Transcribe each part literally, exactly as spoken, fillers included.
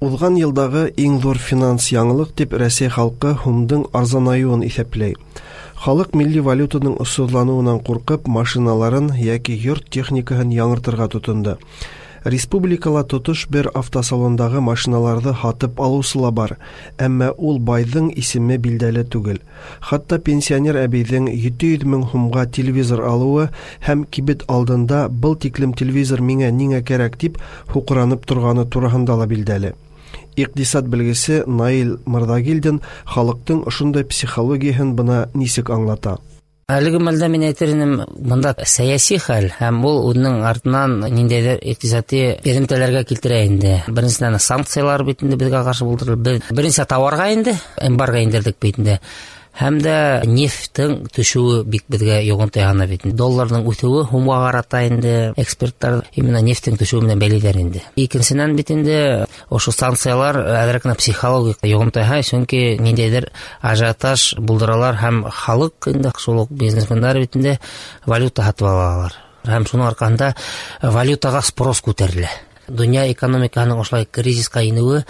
Узган елдагы иң зур финанс яңалык дип Рәсәй халкы һумдың арзанаюын иҫәпләй. Халык милли валютаның осһоҙланыуынан ҡурҡып, машиналарын йәки йорт техникаһын яңыртырға тотондо. Республикала тотош бер автосалондағы машиналарҙы һатып алыусы ла бар, әммә ул байҙың исеме билдәле түгел. Хатта пенсионер әбейҙең ете йөҙ мең һумға телевизор алыуы һәм кибет алдында был тиклем телевизор миңә ниңә кәрәк тип һуҡранып торғаны тураһында ла билдәле. Иҡтисад белгесе Наил Мырҙагилдин халыҡтың ошондай психологияһын бына нисек аңлата. Әлеге мәлдә мин әйтер инем, бында сәйәси хәл һәм ул үҙенең артынан ниндәйҙер иҡтисади эҙемтәләргә килтерә инде. Беренсенән, санкциялар бит инде беҙгә ҡаршы булдырылды. Беҙ беренсе тауарға инде эмбарго индерҙек бит инде. Һәм дә нефттең төшөүе бик беҙгә йоғонто яһаны бит. Долларҙың үҫеүе һумға ҡарата инде эксперттар именно нефттең төшөүе менән бәйләйҙәр инде. Икенсенән бит инде ошо санкциялар әҙерәк кенә психологик йоғонто яһай, сөнки ниндәйҙер ажиотаж булдыралар һәм халыҡ инде шул уҡ бизнесмендар бит инде валюта һатып алалар. Һәм шуның арҡаһында валютаға спрос күтәрелә. Донъя экономикаһының ошолай кризисҡа инеүе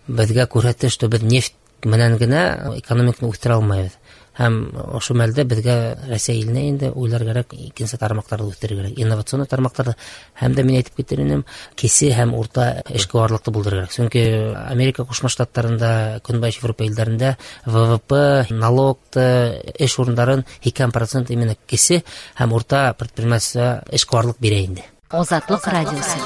беҙгә күрһәтте, что беҙ нефть менән генә экономиканы үҫтерә алмайбыҙ. Һәм ошо мәлдә беҙгә Рәсәй иленә инде уйлар кәрәк, икенсе тармаҡтарҙы үҫтерергә кәрәк, инновацион тармаҡтарҙы һәм дә мин әйтеп китер инем, кесе һәм урта эшҡыуарлыҡты булдырыр кәрәк. Сөнки Америка Ҡушма Штаттарында, Көнбайыш Европа илдәрендә вэ вэ пэ, налогты, эш урындарын һикһән процент именно кесе һәм урта предпринимательство эшҡыуарлыҡ бирә инде. Азатлык радиосы.